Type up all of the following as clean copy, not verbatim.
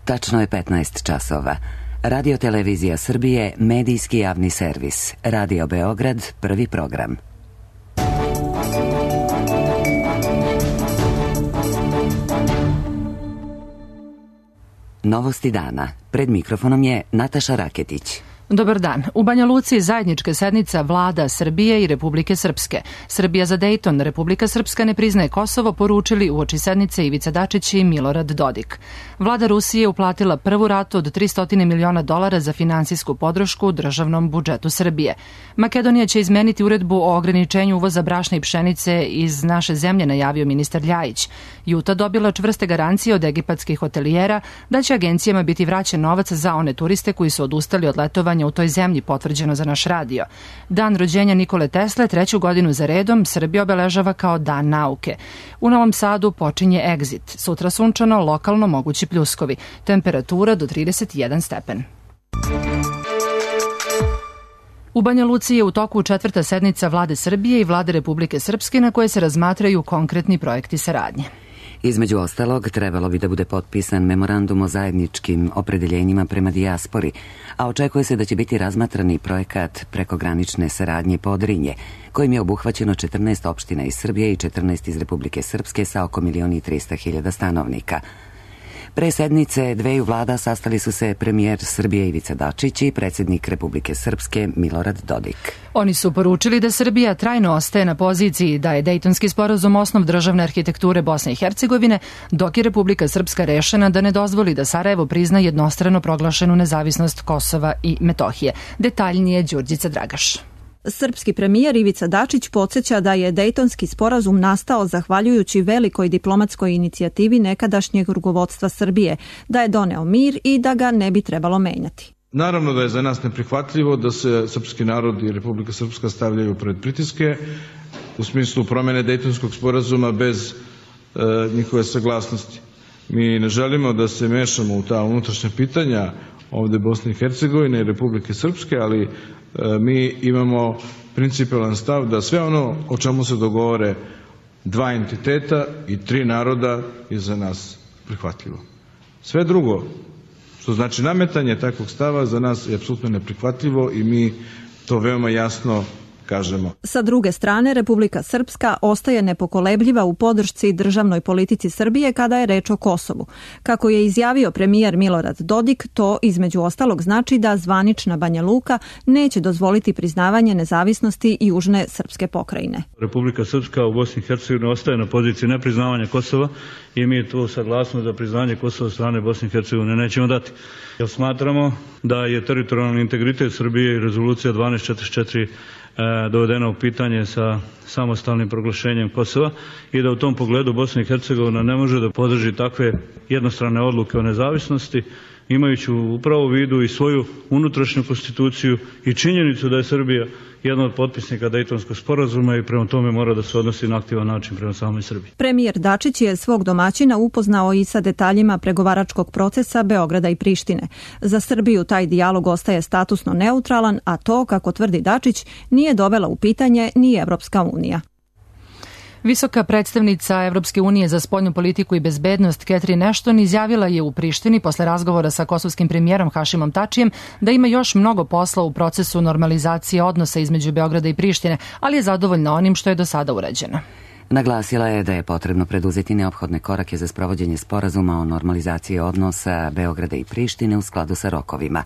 Tačno je 15 časova. Radio Televizija Srbije, medijski javni servis. Radio Beograd, prvi program. Novosti dana. Pred mikrofonom je Nataša Raketić. Dobar dan. U Banja Luci zajednička sednica Vlada Srbije i Republike Srpske. Srbija za Dejton, Republika Srpska ne priznaje Kosovo, poručili uoči sednice Ivica Dačić i Milorad Dodik. Vlada Rusije uplatila prvu ratu od $300 miliona za finansijsku podršku državnom budžetu Srbije. Makedonija će izmeniti uredbu o ograničenju uvoza brašna i pšenice iz naše zemlje, najavio ministar Ljajić. Juta dobila čvrste garancije od egipatskih hotelijera da će agencijama biti vraćen novac za one turiste koji su odustali od letovanja u toj zemlji, potvrđeno za naš radio. Dan rođenja Nikole Tesle, 3. godinu za redom, Srbija obeležava kao Dan nauke. U Novom Sadu počinje Egzit. Sutra sunčano, lokalno mogući pljuskovi. Temperatura do 31 stepen. U Banja Luci je u toku 4. sednica Vlade Srbije i Vlade Republike Srpske na koje se razmatraju konkretni projekti saradnje. Između ostalog, trebalo bi da bude potpisan memorandum o zajedničkim opredeljenjima prema dijaspori, a očekuje se da će biti razmatrani projekat prekogranične saradnje Podrinje, kojim je obuhvaćeno 14 opština iz Srbije i 14 iz Republike Srpske sa oko 1.300.000 stanovnika. Pre sednice dveju vlada sastali su se premijer Srbije Ivica Dačić i predsjednik Republike Srpske Milorad Dodik. Oni su poručili da Srbija trajno ostaje na poziciji da je Dejtonski sporazum osnov državne arhitekture Bosne i Hercegovine, dok je Republika Srpska rešena da ne dozvoli da Sarajevo prizna jednostrano proglašenu nezavisnost Kosova i Metohije. Detaljnije Đurđica Dragaš. Srpski premijer Ivica Dačić podsjeća da je Dejtonski sporazum nastao zahvaljujući velikoj diplomatskoj inicijativi nekadašnjeg rukovodstva Srbije, da je doneo mir i da ga ne bi trebalo menjati. Naravno da je za nas neprihvatljivo da se srpski narod i Republika Srpska stavljaju pred pritiske u smislu promene Dejtonskog sporazuma bez njihove saglasnosti. Mi ne želimo da se mešamo u ta unutrašnja pitanja ovde Bosne i Hercegovine i Republike Srpske, ali mi imamo principijelan stav da sve ono o čemu se dogovore dva entiteta i tri naroda je za nas prihvatljivo. Sve drugo, što znači nametanje takvog stava, za nas je apsolutno neprihvatljivo i mi to veoma jasno kažemo. Sa druge strane, Republika Srpska ostaje nepokolebljiva u podršci državnoj politici Srbije kada je reč o Kosovu. Kako je izjavio premijer Milorad Dodik, to između ostalog znači da zvanična Banja Luka neće dozvoliti priznavanje nezavisnosti južne srpske pokrajine. Republika Srpska u Bosni i Hercegovini ostaje na poziciji nepriznavanja Kosova i mi tu saglasnost za priznanje Kosova strane Bosne i Hercegovine nećemo dati. Jer smatramo da je teritorijalni integritet Srbije i rezolucija 1244 dovedena u pitanje sa samostalnim proglašenjem Kosova i da u tom pogledu Bosna i Hercegovina ne može da podrži takve jednostrane odluke o nezavisnosti, imajući upravo u vidu i svoju unutrašnju konstituciju i činjenicu da je Srbija jedna od potpisnika Dejtonskog sporazuma i prema tome mora da se odnosi na aktivan način prema samoj Srbiji. Premijer Dačić je svog domaćina upoznao i sa detaljima pregovaračkog procesa Beograda i Prištine. Za Srbiju taj dijalog ostaje statusno neutralan, a to, kako tvrdi Dačić, nije dovela u pitanje ni Evropska unija. Visoka predstavnica Evropske unije za spoljnu politiku i bezbednost Catherine Ashton izjavila je u Prištini posle razgovora sa kosovskim premijerom Hašimom Tačijem da ima još mnogo posla u procesu normalizacije odnosa između Beograda i Prištine, ali je zadovoljna onim što je do sada urađeno. Naglasila je da je potrebno preduzeti neophodne korake za sprovođenje sporazuma o normalizaciji odnosa Beograda i Prištine u skladu sa rokovima.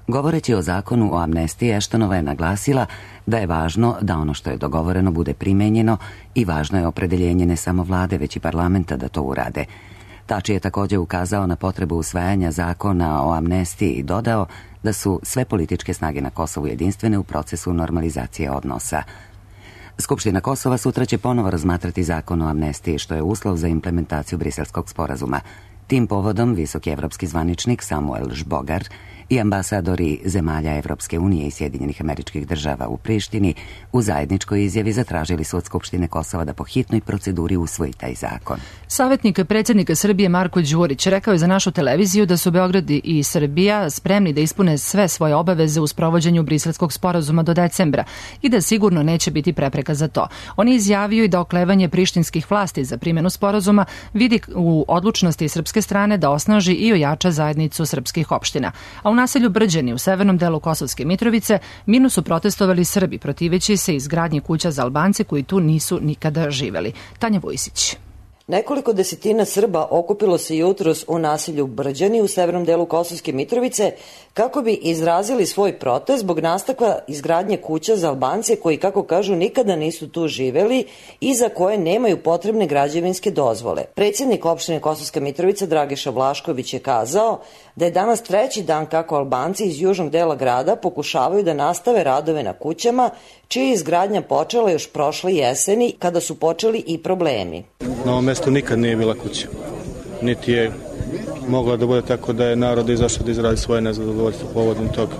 Govoreći o zakonu o amnestiji, Eštonova je naglasila da je važno da ono što je dogovoreno bude primenjeno i važno je opredeljenje ne samo vlade, već i parlamenta da to urade. Tači je također ukazao na potrebu usvajanja zakona o amnestiji i dodao da su sve političke snage na Kosovu jedinstvene u procesu normalizacije odnosa. Skupština Kosova sutra će ponovo razmatrati zakon o amnestiji, što je uslov za implementaciju Briselskog sporazuma. Tim povodom visoki evropski zvaničnik Samuel Žbogar i ambasadori zemalja Evropske unije i Sjedinjenih Američkih Država u Prištini u zajedničkoj izjavi zatražili su od Skupštine Kosova da po hitnoj proceduri usvoji taj zakon. Savjetnik predsjednika Srbije Marko Đurić rekao je za našu televiziju da su Beograd i Srbija spremni da ispune sve svoje obaveze u sprovođenju Briselskog sporazuma do decembra i da sigurno neće biti prepreka za to. On je izjavio i da oklevanje prištinskih vlasti za primjenu sporazuma vidi u odlučnosti srpske srpske strane da osnaži i ojača zajednicu srpskih opština. A u naselju Brđani u severnom delu Kosovske Mitrovice mirno su protestovali Srbi protiveći se izgradnji kuća za Albance koji tu nisu nikada živeli. Tanja Vojsić. Nekoliko desetina Srba okupilo se jutros u naselju Brđani u severnom delu Kosovske Mitrovice kako bi izrazili svoj protest zbog nastavka izgradnje kuća za Albance koji, kako kažu, nikada nisu tu živeli i za koje nemaju potrebne građevinske dozvole. Predsjednik opštine Kosovska Mitrovica Dragiša Vlašković je kazao da je danas treći dan kako Albanci iz južnog dela grada pokušavaju da nastave radove na kućama, čija je izgradnja počela još prošle jeseni kada su počeli i problemi. Na ovom mestu nikad nije bila kuća, niti je mogla da bude tako da je narod izašao da izrazi svoje nezadovoljstvo povodom toga.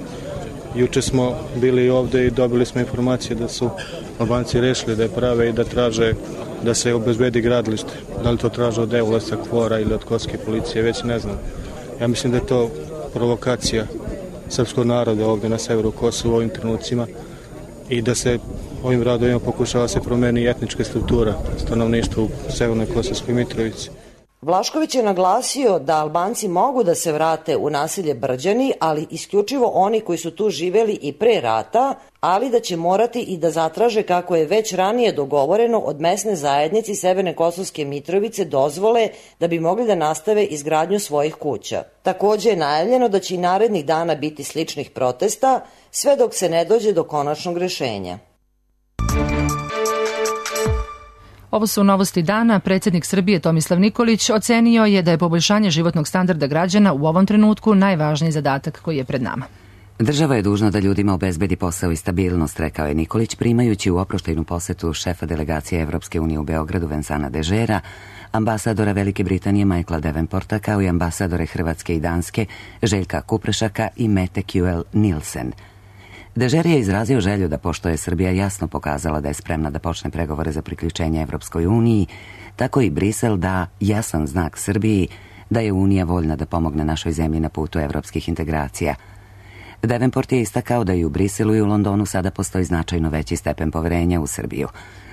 Juče smo bili ovde i dobili smo informacije da su Albanci rešili da je prave i da traže da se obezbedi gradilište. Da li to traže od EULES-a, KFOR-a ili od Kosovske policije, već ne znam. Ja mislim da je to provokacija srpskog naroda ovde na severu Kosova u ovim trenucima i da se ovim radovima pokušava se promeni etnička struktura stanovništva u severnoj Kosovskoj Mitrovici. Vlašković je naglasio da Albanci mogu da se vrate u naselje Brđani, ali isključivo oni koji su tu živeli i pre rata, ali da će morati i da zatraže, kako je već ranije dogovoreno, od mesne zajednice Severne Kosovske Mitrovice dozvole da bi mogli da nastave izgradnju svojih kuća. Takođe je najavljeno da će i narednih dana biti sličnih protesta, sve dok se ne dođe do konačnog rešenja. Ovo su novosti dana. Predsjednik Srbije Tomislav Nikolić ocenio je da je poboljšanje životnog standarda građana u ovom trenutku najvažniji zadatak koji je pred nama. Država je dužna da ljudima obezbedi posao i stabilnost, rekao je Nikolić, primajući u oproštajnu posetu šefa delegacije Evropske unije u Beogradu Vensana Dežera, ambasadora Velike Britanije Michaela Davenporta, kao i ambasadore Hrvatske i Danske Željka Kuprešaka i Mete Kjuel Nilsen. Dežer je izrazio želju da, pošto je Srbija jasno pokazala da je spremna da počne pregovore za priključenje Evropskoj uniji, tako i Brisel da jasan znak Srbiji da je Unija voljna da pomogne našoj zemlji na putu evropskih integracija. Davenport je istakao da i u Briselu i u Londonu sada postoji značajno veći stepen poverenja u Srbiju.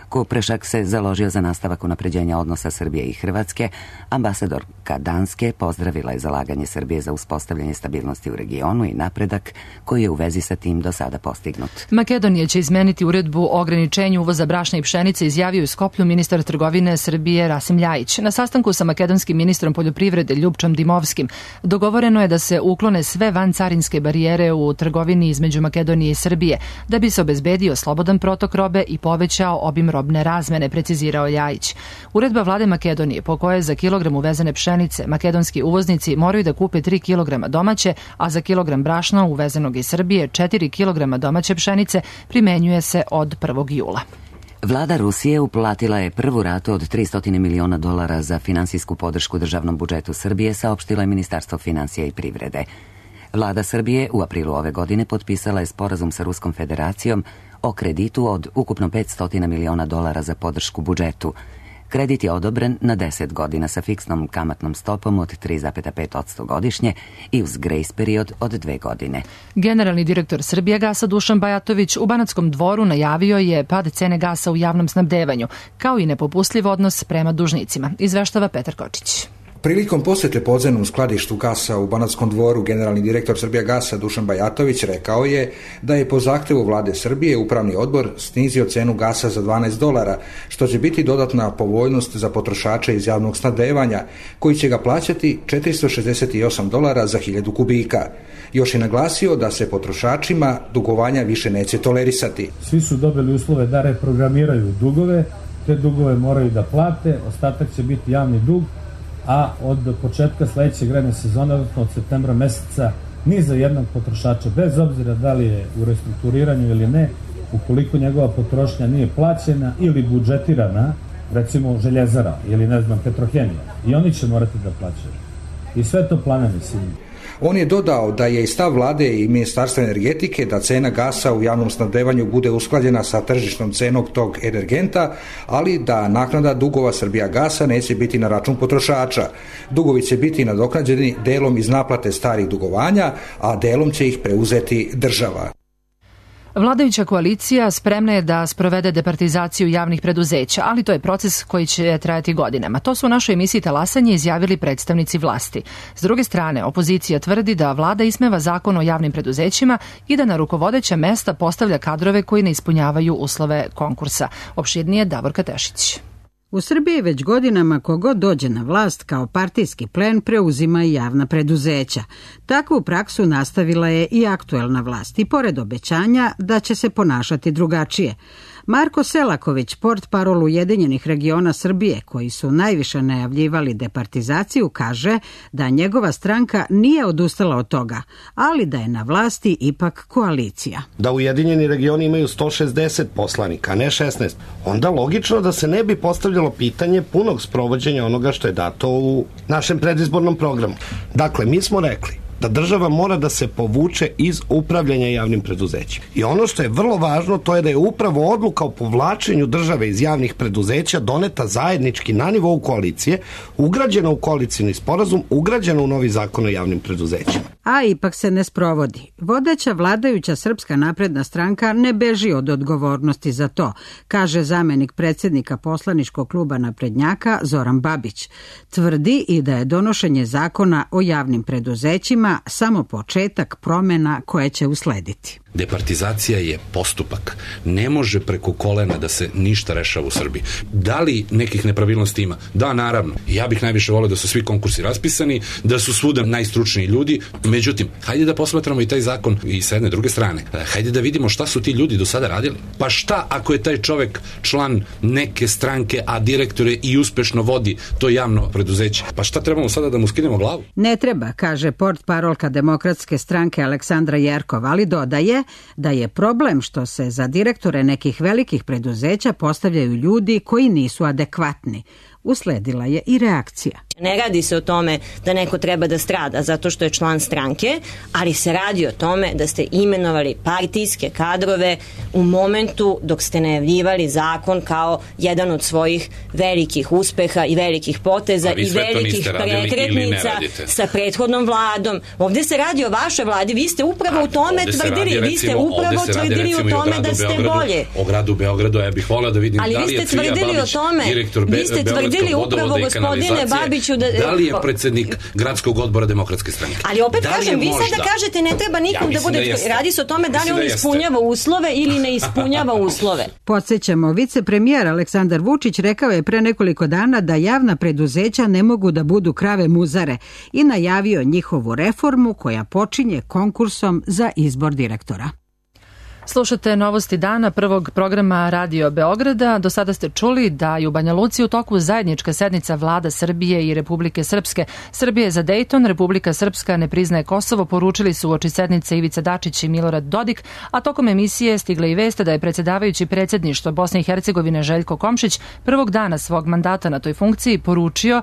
Kuprešak se založio za nastavak unapređenja odnosa Srbije i Hrvatske. Ambasadorka Danske pozdravila je zalaganje Srbije za uspostavljanje stabilnosti u regionu i napredak koji je u vezi sa tim do sada postignut. Makedonija će izmeniti uredbu o ograničenju uvoza brašna i pšenice, izjavio u Skoplju ministar trgovine Srbije Rasim Ljajić. Na sastanku sa makedonskim ministrom poljoprivrede Ljupčom Dimovskim dogovoreno je da se uklone sve vancarinske barijere u trgovini između Makedonije i Srbije, da bi se obezbedio slobodan protok robe i povećao obim robne razmene, precizirao Ljajić. Uredba vlade Makedonije po kojoj za kilogram uvezene pšenice makedonski uvoznici moraju da kupe 3 kg domaće, a za kilogram brašna uvezenog iz Srbije 4 kg domaće pšenice primenjuje se od 1. jula. Vlada Rusije uplatila je prvu ratu od $300 miliona za finansijsku podršku državnom budžetu Srbije, saopštilo je Ministarstvo finansija i privrede. Vlada Srbije u aprilu ove godine potpisala je sporazum sa Ruskom federacijom o kreditu od ukupno $500 miliona za podršku budžetu. Kredit je odobren na 10 godina sa fiksnom kamatnom stopom od 3,5% godišnje i uz grejs period od 2 godine. Generalni direktor Srbijagasa Dušan Bajatović u Banatskom Dvoru najavio je pad cene gasa u javnom snabdevanju, kao i nepopustljiv odnos prema dužnicima, izveštava Petar Kočić. Prilikom posete podzemnom skladištu gasa u Banatskom Dvoru, generalni direktor Srbijagasa Dušan Bajatović rekao je da je po zahtevu vlade Srbije upravni odbor snizio cenu gasa za $12, što će biti dodatna povoljnost za potrošače iz javnog snabdevanja, koji će ga plaćati $468 za 1000 kubika. Još je naglasio da se potrošačima dugovanja više neće tolerisati. Svi su dobili uslove da reprogramiraju dugove, te dugove moraju da plate, ostatak će biti javni dug, a od početka sledeće grejne sezone, odnosno od septembra meseca, ni za jednog potrošača, bez obzira da li je u restrukturiranju ili ne, ukoliko njegova potrošnja nije plaćena ili budžetirana, recimo Željezara ili ne znam Petrohemija, i oni će morati da plaćaju. I sve to planami silni. On je dodao da je i stav vlade i Ministarstva energetike da cena gasa u javnom snabdevanju bude usklađena sa tržišnom cenom tog energenta, ali da naknada dugova Srbijagasa neće biti na račun potrošača. Dugovi će biti nadoknađeni delom iz naplate starih dugovanja, a delom će ih preuzeti država. Vladajuća koalicija spremna je da sprovede departizaciju javnih preduzeća, ali to je proces koji će trajati godinama. To su u našoj emisiji Talasanje izjavili predstavnici vlasti. S druge strane, opozicija tvrdi da vlada ismeva zakon o javnim preduzećima i da na rukovodeća mesta postavlja kadrove koji ne ispunjavaju uslove konkursa. Opširnije Davorka Tešić. U Srbiji već godinama kogod dođe na vlast kao partijski plen preuzima i javna preduzeća. Takvu praksu nastavila je i aktuelna vlast i pored obećanja da će se ponašati drugačije. Marko Selaković, portparol Ujedinjenih regiona Srbije, koji su najviše najavljivali departizaciju, kaže da njegova stranka nije odustala od toga, ali da je na vlasti ipak koalicija. Da Ujedinjeni regioni imaju 160 poslanika, a ne 16, onda logično da se ne bi postavljalo pitanje punog sprovođenja onoga što je dato u našem predizbornom programu. Dakle, mi smo rekli da država mora da se povuče iz upravljanja javnim preduzećima. I ono što je vrlo važno, to je da je upravo odluka o povlačenju države iz javnih preduzeća doneta zajednički na nivou koalicije, ugrađena u koalicijni sporazum, ugrađena u novi zakon o javnim preduzećima. A ipak se ne sprovodi. Vodeća vladajuća Srpska napredna stranka ne beži od odgovornosti za to, kaže zamenik predsjednika poslaničkog kluba naprednjaka Zoran Babić. Tvrdi i da je donošenje zakona o javnim preduzećima samo početak promjena koje će uslediti. Departizacija je postupak. Ne može preko kolena da se ništa rešava u Srbiji. Da li nekih nepravilnosti ima? Da, naravno. Ja bih najviše volio da su svi konkursi raspisani, da su svuda najstručniji ljudi. Međutim, hajde da posmatramo i taj zakon i sa jedne druge strane. Hajde da vidimo šta su ti ljudi do sada radili. Pa šta ako je taj čovek član neke stranke, a direktore i uspešno vodi to javno preduzeće? Pa šta trebamo sada da mu skinemo glavu? Ne treba, kaže portparolka Demokratske stranke Aleksandra Jerkov, ali dodaje da je problem što se za direktore nekih velikih preduzeća postavljaju ljudi koji nisu adekvatni. Usledila je i reakcija. Ne radi se o tome da neko treba da strada zato što je član stranke, ali se radi o tome da ste imenovali partijske kadrove u momentu dok ste najavljivali zakon kao jedan od svojih velikih uspeha i velikih poteza i velikih prekretnica sa prethodnom vladom. Ovdje se radi o vašoj vladi, vi ste upravo u tome tvrdili, vi ste upravo tvrdili u tome da ste bolje. O gradu Beogradu, ja bih volio da vidim da li je Cvija Babić direktor Beogradskog vodovoda i kanalizacije. Da li je predsjednik gradskog odbora Demokratske stranke? Ali opet kažem, vi sada kažete ne treba nikom da bude, radi se o tome da li on ispunjava uslove ili ne ispunjava uslove. Podsjećamo, vicepremijer Aleksandar Vučić rekao je pre nekoliko dana da javna preduzeća ne mogu da budu krave muzare i najavio njihovu reformu koja počinje konkursom za izbor direktora. Slušate Novosti dana prvog programa Radio Beograda. Do sada ste čuli da je u Banja Luci u toku zajednička sednica vlada Srbije i Republike Srpske. Srbije za Dejton, Republika Srpska ne priznaje Kosovo, poručili su uoči sednice Ivica Dačić i Milorad Dodik, a tokom emisije stigla i vest da je predsjedavajući predsjedništva Bosne i Hercegovine Željko Komšić prvog dana svog mandata na toj funkciji poručio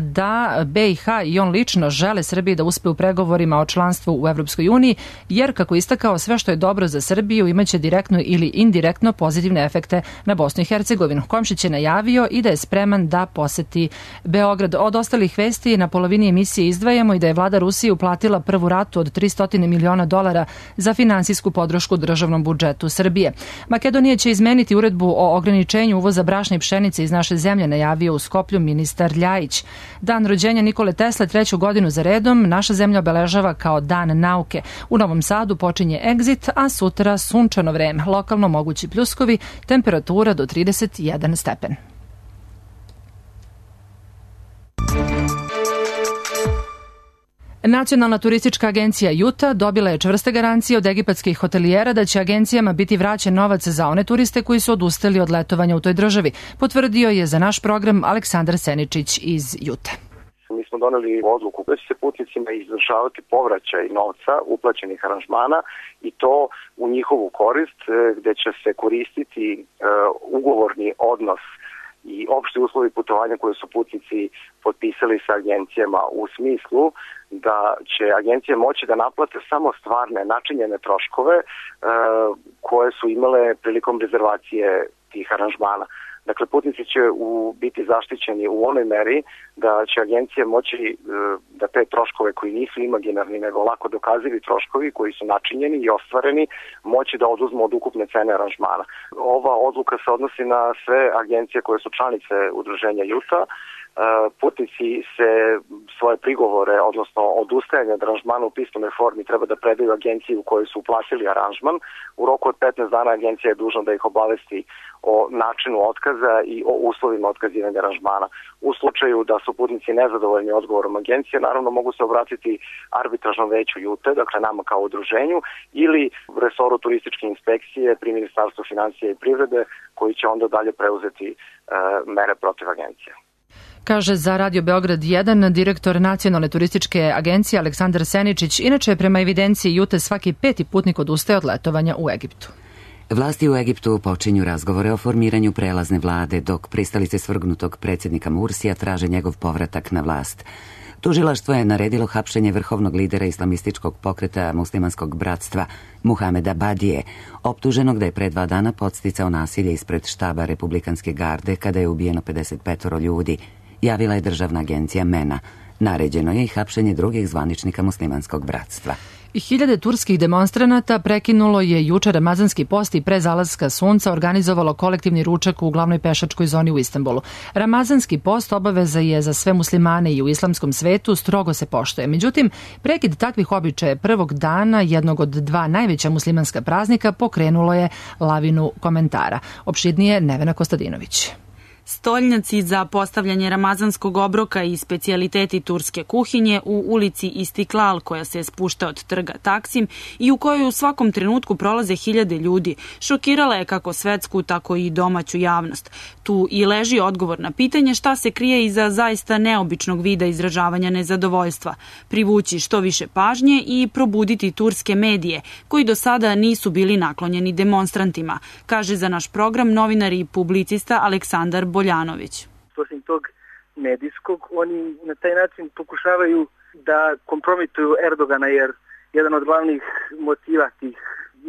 da BiH i on lično žele Srbiji da uspe u pregovorima o članstvu u Evropskoj uniji, jer, kako istakao, sve što je dobro za Srbiju imaće direktno ili indirektno pozitivne efekte na Bosnu i Hercegovinu. Komšić je najavio i da je spreman da poseti Beograd. Od ostalih vesti na polovini emisije izdvajamo i da je vlada Rusije uplatila prvu ratu od $300 miliona za finansijsku podršku državnom budžetu Srbije. Makedonija će izmeniti uredbu o ograničenju uvoza brašna i pšenice iz naše zemlje, najavio u Skoplju ministar Ljajić. Dan rođenja Nikole Tesle 3. godinu za redom naša zemlja obeležava kao Dan nauke. U Novom Sadu počinje Exit, a sutra sunčano vreme. Lokalno mogući pljuskovi, temperatura do 31 stepen. Nacionalna turistička agencija Juta dobila je čvrste garancije od egipatskih hotelijera da će agencijama biti vraćen novac za one turiste koji su odustali od letovanja u toj državi. Potvrdio je za naš program Aleksandar Seničić iz Jute. Mi smo doneli odluku da će se putnicima izvršavati povraćaj novca uplaćenih aranžmana i to u njihovu korist, gde će se koristiti ugovorni odnos i opšti uslovi putovanja koje su putnici potpisali sa agencijama, u smislu da će agencije moći da naplate samo stvarne načinjene troškove koje su imale prilikom rezervacije tih aranžmana. Dakle, putnici će biti zaštićeni u onoj meri da će agencija moći da te troškove koji nisu imaginarni nego lako dokazivi troškovi koji su načinjeni i ostvareni moći da oduzmu od ukupne cene aranžmana. Ova odluka se odnosi na sve agencije koje su članice udruženja JUTA. Putnici se svoje prigovore, odnosno odustajanje od aranžmana u pismenoj formi treba da predaju agenciji u kojoj su uplatili aranžman. U roku od 15 dana agencija je dužna da ih obavesti o načinu otkaza i o uslovima otkazivanja aranžmana. U slučaju da su putnici nezadovoljni odgovorom agencije, naravno mogu se obratiti arbitražnom veću JUTE, dakle nama kao udruženju, ili resoru turističke inspekcije pri Ministarstvu finansija i privrede, koji će onda dalje preuzeti mere protiv agencije. Kaže za Radio Beograd 1 direktor Nacionalne turističke agencije Aleksandar Seničić. Inače, prema evidenciji JUTE svaki 5. putnik odustaje od letovanja u Egiptu. Vlasti u Egiptu počinju razgovore o formiranju prelazne vlade, dok pristalice svrgnutog predsjednika Mursija traže njegov povratak na vlast. Tužilaštvo je naredilo hapšenje vrhovnog lidera islamističkog pokreta muslimanskog bratstva Muhameda Badije, optuženog da je pre 2 dana podsticao nasilje ispred štaba Republikanske garde kada je ubijeno 55 ljudi, javila je državna agencija MENA. Naređeno je i hapšenje drugih zvaničnika muslimanskog bratstva. I 1000 turskih demonstranata prekinulo je juče ramazanski post i pre zalaska sunca organizovalo kolektivni ručak u glavnoj pešačkoj zoni u Istanbulu. Ramazanski post obaveza je za sve muslimane i u islamskom svetu, strogo se poštuje. Međutim, prekid takvih običaja prvog dana jednog od 2 najveća muslimanska praznika pokrenulo je lavinu komentara. Opširnije Nevena Kostadinović. Stolnjaci za postavljanje ramazanskog obroka i specijaliteti turske kuhinje u ulici Istiklal, koja se spušta od trga Taksim i u kojoj u svakom trenutku prolaze 1000 ljudi, šokirala je kako svetsku, tako i domaću javnost. Tu i leži odgovor na pitanje šta se krije iza zaista neobičnog vida izražavanja nezadovoljstva, privući što više pažnje i probuditi turske medije, koji do sada nisu bili naklonjeni demonstrantima, kaže za naš program novinar i publicista Aleksandar Boljanović. Osim tog medijskog, oni na taj način pokušavaju da kompromituju Erdogana, jer jedan od glavnih motiva tih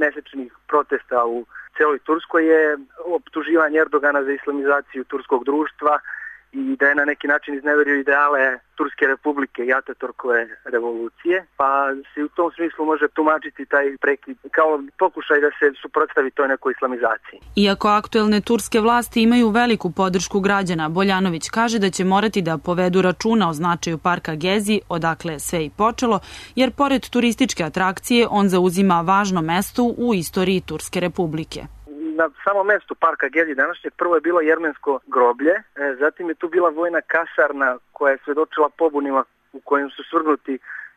mesečnih protesta u celoj Turskoj je optuživanje Erdogana za islamizaciju turskog društva i da je na neki način izneverio ideale Turske republike i Ataturkove revolucije, pa se u tom smislu može tumačiti taj prekid kao pokušaj da se suprotstavi toj nekoj islamizaciji. Iako aktuelne turske vlasti imaju veliku podršku građana, Boljanović kaže da će morati da povedu računa o značaju parka Gezi, odakle sve i počelo, jer pored turističke atrakcije on zauzima važno mesto u istoriji Turske republike. Na samom mestu parka Gezi današnjeg prvo je bilo jermensko groblje, zatim je tu bila vojna kasarna koja je svedočila pobunima u kojim su svrgnuti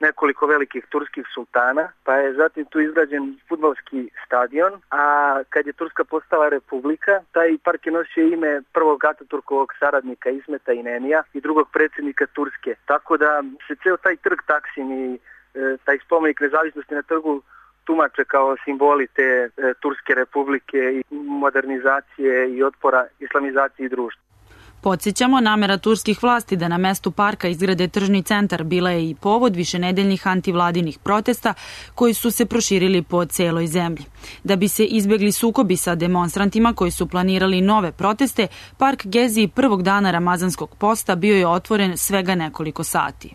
nekoliko velikih turskih sultana, pa je zatim tu izgrađen fudbalski stadion, a kad je Turska postala republika, taj park je nosio ime prvog Ataturkovog saradnika Ismeta Inenija i drugog predsjednika Turske. Tako da se ceo taj trg Taksim i taj spomenik nezavisnosti na trgu tumače kao simboli te Turske republike i modernizacije i otpora islamizaciji društva. Podsjećamo, namera turskih vlasti da na mestu parka izgrade tržni centar bila je i povod višenedeljnih antivladinih protesta koji su se proširili po celoj zemlji. Da bi se izbegli sukobi sa demonstrantima koji su planirali nove proteste, park Gezi prvog dana ramazanskog posta bio je otvoren svega nekoliko sati.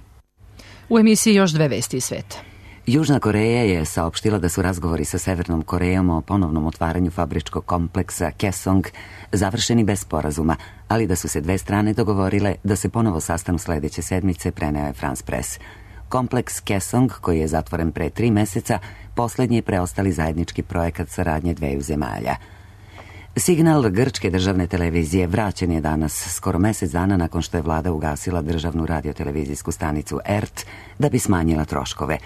U emisiji još 2 vesti iz sveta. Južna Koreja je saopštila da su razgovori sa Severnom Korejom o ponovnom otvaranju fabričkog kompleksa Kaesong završeni bez sporazuma, ali da su se 2 strane dogovorile da se ponovo sastanu sledeće sedmice, preneo je France Press. Kompleks Kaesong, koji je zatvoren pre 3 meseca, poslednji je preostali zajednički projekat saradnje 2 zemalja. Signal grčke državne televizije vraćen je danas, skoro mesec dana nakon što je vlada ugasila državnu radiotelevizijsku stanicu ERT da bi smanjila troškove.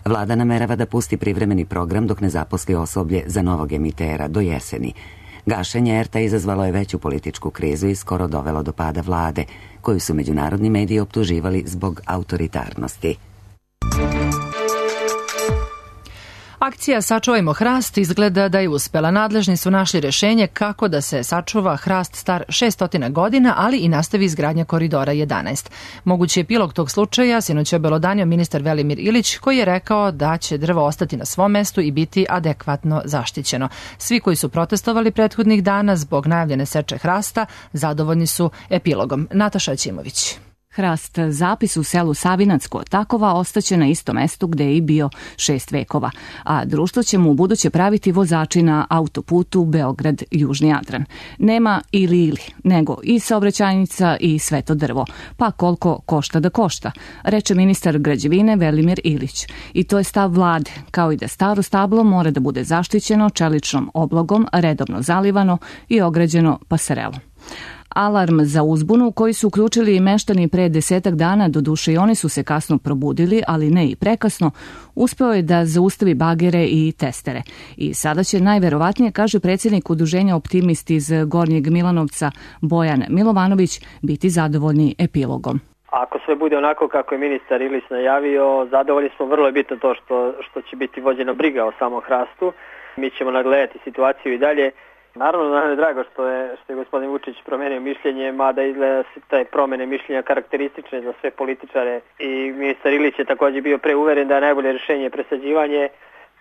Vlada namerava da pusti privremeni program dok ne zaposli osoblje za novog emitera do jeseni. Gašenje ERT-a izazvalo je veću političku krizu i skoro dovelo do pada vlade, koju su međunarodni mediji optuživali zbog autoritarnosti. Akcija Sačuvajmo hrast izgleda da je uspela. Nadležni su našli rešenje kako da se sačuva hrast star 600 godina, ali i nastavi izgradnja koridora 11. Mogući epilog tog slučaja sinoć je obelodanio ministar Velimir Ilić, koji je rekao da će drvo ostati na svom mestu i biti adekvatno zaštićeno. Svi koji su protestovali prethodnih dana zbog najavljene seče hrasta zadovoljni su epilogom. Nataša Ćimović. Hrast zapis u selu Savinac kod Takova ostaće na istom mestu gde je i bio 6 vekova, a društvo će mu u buduće praviti vozači na autoputu Beograd-Južni Jadran. Nema ili, nego i saobraćajnica i sve to drvo, pa koliko košta da košta, reče ministar građevine Velimir Ilić. I to je stav vlade, kao i da staro stablo mora da bude zaštićeno čeličnom oblogom, redovno zalivano i ograđeno pasarelom. Alarm za uzbunu koji su uključili meštani pre 10 dana, doduše i oni su se kasno probudili, ali ne i prekasno, uspeo je da zaustavi bagere i testere. I sada će najverovatnije, kaže predsjednik udruženja Optimisti iz Gornjeg Milanovca Bojan Milovanović, biti zadovoljni epilogom. Ako sve bude onako kako je ministar Ilić najavio, zadovoljni smo. Vrlo je bitno to što će biti vođena briga o samom hrastu. Mi ćemo nagledati situaciju i dalje. Naravno, nam je drago što je gospodin Vučić promenio mišljenje, mada izgleda se te promene mišljenja karakteristične za sve političare i ministar Ilić je također bio preuveren da je najbolje rješenje presađivanje,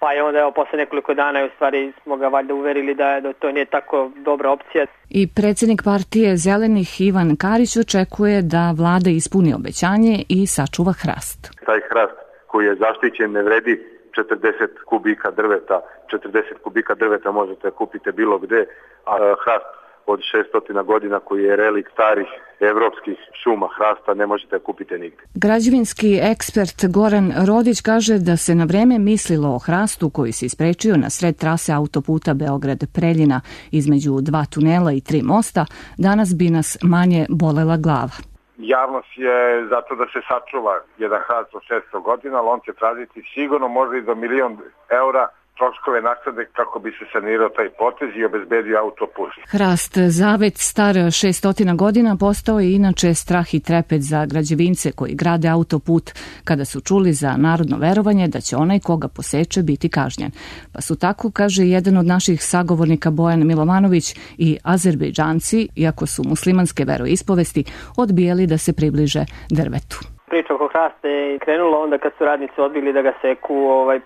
pa je onda posle nekoliko dana u stvari smo ga valjda uverili da to nije tako dobra opcija. I predsjednik partije Zelenih Ivan Karić očekuje da vlada ispuni obećanje i sačuva hrast. Taj hrast koji je zaštićen ne vredi 40 kubika drveta. 40 kubika drveta možete kupiti bilo gde, a hrast od 600 godina koji je relik starih evropskih šuma hrasta ne možete kupiti nigde. Građevinski ekspert Goran Rodić kaže da se na vreme mislilo o hrastu koji se isprečio na sred trase autoputa Beograd-Preljina između 2 tunela i 3 mosta, danas bi nas manje bolela glava. Javnost je zato da se sačuva jedan hrast od 600 godina, ali on će tražiti sigurno možda i do $1.000.000 troškove naknade kako bi se sanirao taj potez i obezbedio autoput. Hrast zavet star 600 godina postao je inače strah i trepet za građevince koji grade autoput kada su čuli za narodno verovanje da će onaj koga poseče biti kažnjen. Pa su tako, kaže jedan od naših sagovornika Bojan Milovanović, i Azerbejdžanci, iako su muslimanske veroispovesti, odbijali da se približe drvetu. Priča oko hrasta je krenula onda kad su radnici odbili da ga seku,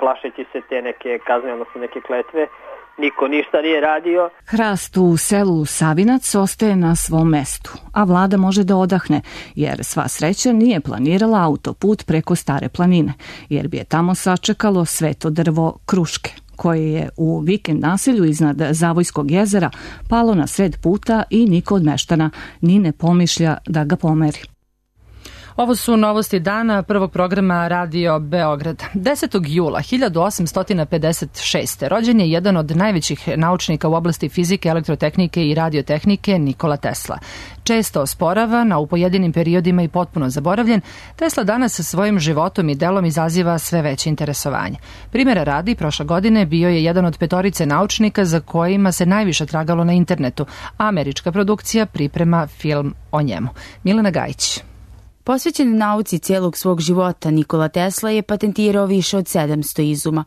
plašeći se te neke kazne, odnosno neke kletve. Niko ništa nije radio. Hrast u selu Savinac ostaje na svom mestu, a vlada može da odahne, jer sva sreća nije planirala autoput preko Stare planine, jer bi je tamo sačekalo sveto drvo kruške, koje je u vikend naselju iznad Zavojskog jezera palo na sred puta i niko od meštana ni ne pomišlja da ga pomeri. Ovo su novosti dana prvog programa Radio Beograd. 10. jula 1856. rođen je jedan od najvećih naučnika u oblasti fizike, elektrotehnike i radiotehnike, Nikola Tesla. Često osporavan, a u pojedinim periodima i potpuno zaboravljen, Tesla danas sa svojim životom i delom izaziva sve veće interesovanje. Primjera radi, prošle godine bio je jedan od 5 naučnika za kojima se najviše tragalo na internetu. Američka produkcija priprema film o njemu. Milena Gajić. Posvećen nauci cijelog svog života, Nikola Tesla je patentirao više od 700 izuma.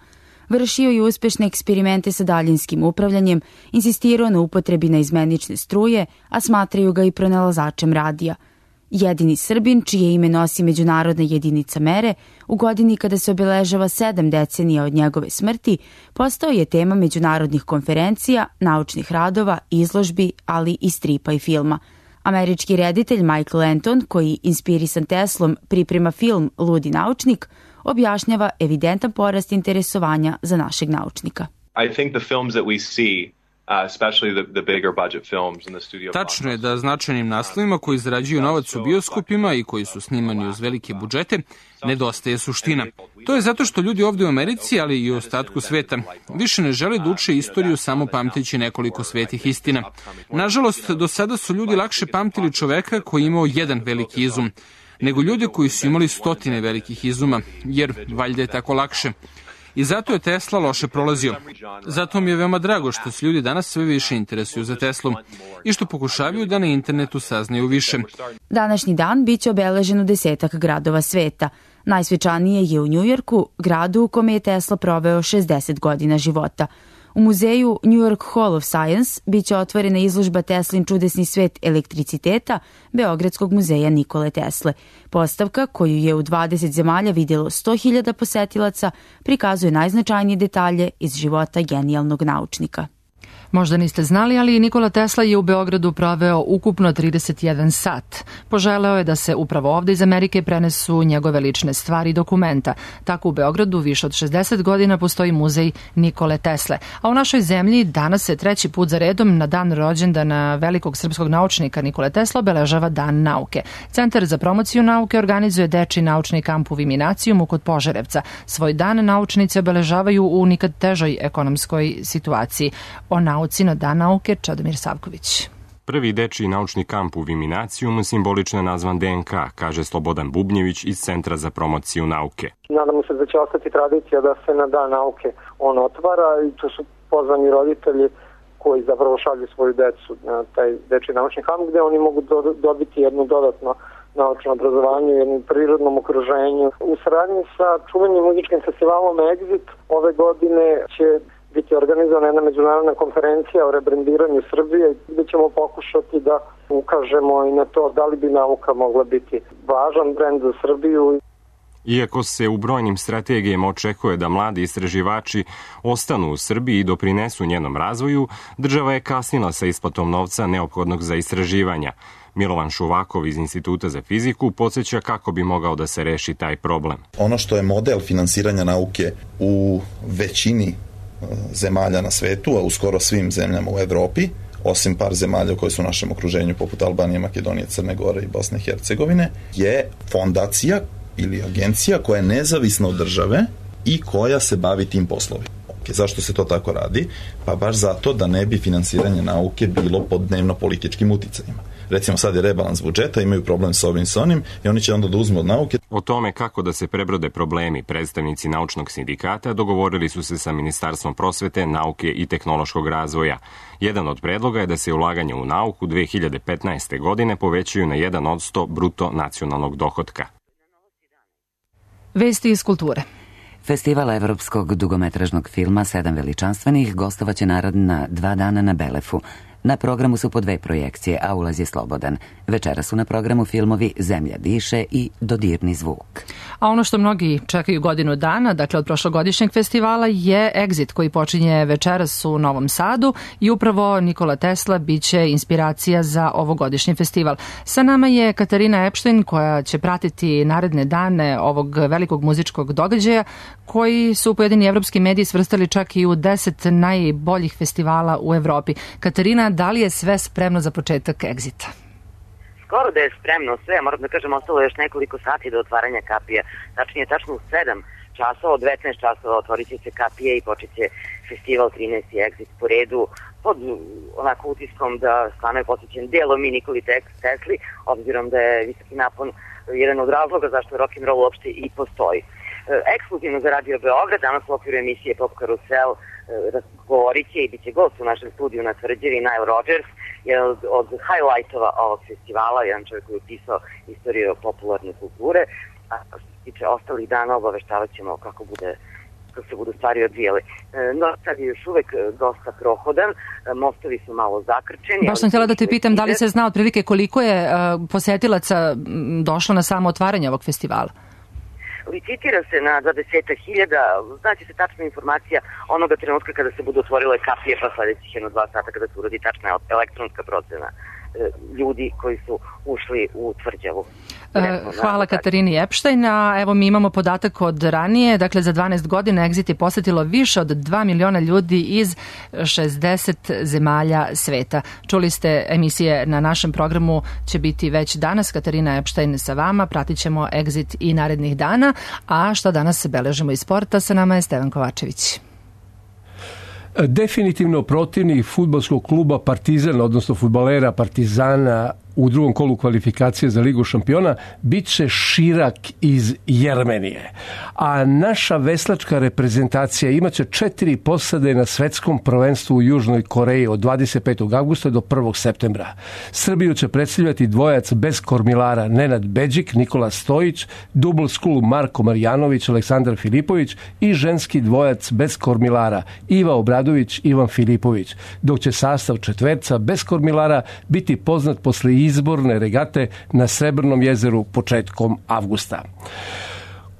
Vršio je uspešne eksperimente sa daljinskim upravljanjem, insistirao na upotrebi naizmenične struje, a smatraju ga i pronalazačem radija. Jedini Srbin, čije ime nosi međunarodna jedinica mere, u godini kada se obeležava 7 decenija od njegove smrti, postao je tema međunarodnih konferencija, naučnih radova, izložbi, ali i stripa i filma. Američki reditelj Michael Anton, koji inspirisan Teslom priprema film Ludi naučnik, objašnjava evidentan porast interesovanja za našeg naučnika. I think the films that we see, especially the bigger budget films in the studio. Tačno je da značajnim naslovima koji zarađuju novac u bioskopima i koji su snimani uz velike budžete nedostaje suština. To je zato što ljudi ovdje u Americi, ali i u ostatku sveta, više ne žele da uče istoriju samo pamteći nekoliko svetih istina. Nažalost, do sada su ljudi lakše pamtili čoveka koji je imao jedan veliki izum, nego ljude koji su imali 100 velikih izuma, jer valjda je tako lakše. i zato je Tesla loše prolazio. Zato mi je veoma drago što se ljudi danas sve više interesuju za Teslu i što pokušavaju da na internetu saznaju više. Današnji dan biće obeležen u 10 gradova sveta. Najsvečanije je u Njujorku, gradu u kome je Tesla proveo 60 godina života. U muzeju New York Hall of Science biće otvorena izložba Teslin čudesni svet elektriciteta Beogradskog muzeja Nikole Tesle. Postavka, koju je u 20 zemalja vidjelo 100.000 posetilaca, prikazuje najznačajnije detalje iz života genijalnog naučnika. Možda niste znali, ali Nikola Tesla je u Beogradu proveo ukupno 31 sat. Poželeo je da se upravo ovde iz Amerike prenesu njegove lične stvari i dokumenta. Tako u Beogradu više od 60 godina postoji muzej Nikole Tesle. A u našoj zemlji danas se 3. put za redom na dan rođendana velikog srpskog naučnika Nikole Tesla obeležava Dan nauke. Centar za promociju nauke organizuje dečiji naučni kamp u Viminacijumu kod Požarevca. Svoj dan naučnici obeležavaju u nikad težoj ekonomskoj situaciji. O nauci na Dan nauke Čedomir Savković. Prvi dečiji naučni kamp u Viminacijumu simbolično je nazvan DNK, kaže Slobodan Bubnjević iz Centra za promociju nauke. Nadamo se da će ostati tradicija da se na Dan nauke on otvara i tu su pozvani roditelji koji zapravo šalju svoju decu na taj dečiji naučni kamp gde oni mogu dobiti jedno dodatno naučno obrazovanje u jednom prirodnom okruženju. U saradnji sa čuvenim muzičkim festivalom Exit ove godine će biti organizovana jedna međunarodna konferencija o rebrandiranju Srbije gdje ćemo pokušati da ukažemo i na to da li bi nauka mogla biti važan brend za Srbiju. Iako se u brojnim strategijama očekuje da mladi istraživači ostanu u Srbiji i doprinesu njenom razvoju, država je kasnila sa isplatom novca neophodnog za istraživanja. Milovan Šuvakov iz Instituta za fiziku podsjeća kako bi mogao da se reši taj problem. Ono što je model finansiranja nauke u većini zemalja na svetu, a u skoro svim zemljama u Evropi, osim par zemalja koje su u našem okruženju poput Albanije, Makedonije, Crne Gore i Bosne i Hercegovine, je fondacija ili agencija koja je nezavisna od države i koja se bavi tim poslovima. Zašto se to tako radi? Pa baš zato da ne bi finansiranje nauke bilo pod dnevno političkim uticajima. Recimo sad je rebalans budžeta, imaju problem s ovim s onim i oni će onda da uzmu od nauke. O tome kako da se prebrode problemi predstavnici naučnog sindikata dogovorili su se sa Ministarstvom prosvete, nauke i tehnološkog razvoja. Jedan od predloga je da se ulaganje u nauku 2015. godine povećaju na 1% bruto nacionalnog dohotka. Vesti iz kulture. Festival evropskog dugometražnog filma 7 veličanstvenih gostovaće naredna 2 dana na Belefu. Na programu su po 2 projekcije, a ulaz je slobodan. Večera su na programu filmovi Zemlja diše i Dodirni zvuk. A ono što mnogi čekaju godinu dana, dakle od prošlogodišnjeg festivala, je Exit koji počinje večeras u Novom Sadu i upravo Nikola Tesla biće inspiracija za ovogodišnji festival. Sa nama je Katarina Epštajn koja će pratiti naredne dane ovog velikog muzičkog događaja koji su pojedini evropski mediji svrstali čak i u 10 najboljih festivala u Evropi. Katarina, da li je sve spremno za početak Exita? Skoro da je spremno sve, moram da kažem, ostalo je još nekoliko sati do otvaranja kapije. Tačnije, tačno u 7 časova, od 19 časova otvorit će se kapije i počet će festival 13. Exit po redu pod onako utiskom da stvarno je posvećen delom i Nikoli Tesli, obzirom da je visoki napon jedan od razloga zašto rock'n'roll uopšte i postoji. Ekskluzivno za Radio Beograd, danas u okviru emisije Pop Karusel govorit će i bit će gost u našem studiju na Tvrđavi Nile Rodgers, jedan od highlightova ovog festivala, jedan čovjek koji je upisao istoriju popularne kulture, a što se tiče ostalih dana obaveštavat ćemo kako se budu stvari odvijele. No, sad je još uvek dosta prohodan, mostovi su malo zakrčeni. Baš sam htjela da te pitam da li se zna otprilike koliko je posetilaca došlo na samo otvaranje ovog festivala? Licitira se na 20.000, znači se tačna informacija onoga trenutka kada se budu otvorile kapije, pa sledećih 1-2 sata kada se uradi tačna elektronska procena ljudi koji su ušli u Tvrđavu. Hvala Katarini Epštajn. Evo mi imamo podatak od ranije, dakle za 12 godina Exit je posetilo više od 2 miliona ljudi iz 60 zemalja sveta. Čuli ste emisije na našem programu će biti već danas. Katarina Epštajn sa vama, pratit ćemo Exit i narednih dana, a što danas beležimo iz sporta, sa nama je Stevan Kovačević. Definitivno protivnik fudbalskog kluba Partizan, odnosno fudbalera Partizana u drugom kolu kvalifikacije za Ligu šampiona bit će Širak iz Jermenije. A naša veslačka reprezentacija imaće 4 posade na svetskom prvenstvu u Južnoj Koreji od 25. avgusta do 1. septembra. Srbiju će predstavljati dvojac bez kormilara Nenad Beđik, Nikola Stojić, double school Marko Marjanović, Aleksandar Filipović i ženski dvojac bez kormilara Iva Obradović, Ivan Filipović, dok će sastav četverca bez kormilara biti poznat posle izborne regate na Srebrnom jezeru početkom avgusta.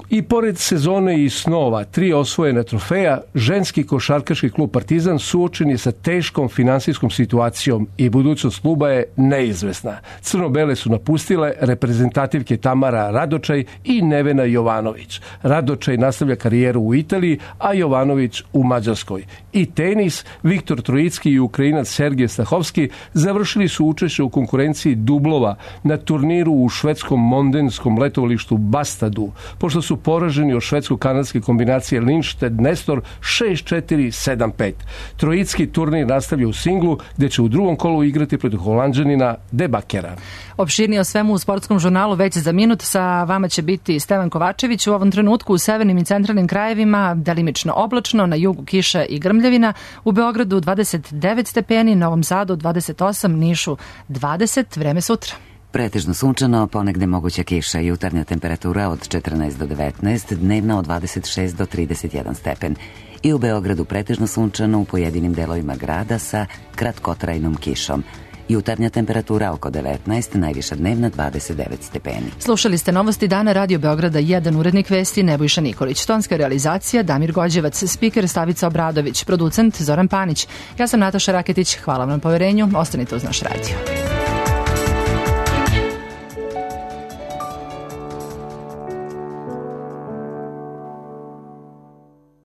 I pored sezone i snova, 3 osvojena trofeja, ženski košarkaški klub Partizan suočen je sa teškom finansijskom situacijom i budućnost kluba je neizvesna. Crno-bele su napustile reprezentativke Tamara Radočaj i Nevena Jovanović. Radočaj nastavlja karijeru u Italiji, a Jovanović u Mađarskoj. I tenis, Viktor Trojicki i Ukrajinac Sergej Stahovski završili su učešće u konkurenciji dublova na turniru u švedskom mondenskom letovalištu Bastadu, pošto su poraženi od švedsko-kanadske kombinacije Lindstedt-Nestor 6-4-7-5. Trojicki turnir nastavlja u singlu, gde će u drugom kolu igrati protiv Holanđanina De Bakera. Opširnije o svemu u sportskom žurnalu već za minut. Sa vama će biti Stevan Kovačević. U ovom trenutku u severnim i centralnim krajevima delimično oblačno, na jugu kiša i grmljavina, u Beogradu 29 stepeni, Novom Sadu 28, Nišu 20, vreme sutra. Pretežno sunčano, ponegde moguća kiša, jutarnja temperatura od 14 do 19, dnevna od 26 do 31 stepen. I u Beogradu pretežno sunčano u pojedinim delovima grada sa kratkotrajnom kišom. Jutarnja temperatura oko 19, najviša dnevna 29 stepeni. Slušali ste novosti dana Radio Beograda 1, urednik vesti Nebojša Nikolić, tonska realizacija Damir Gođevac, spiker Stavica Obradović, producent Zoran Panić. Ja sam Nataša Raketić, hvala vam na poverenju, ostanite uz naš radio.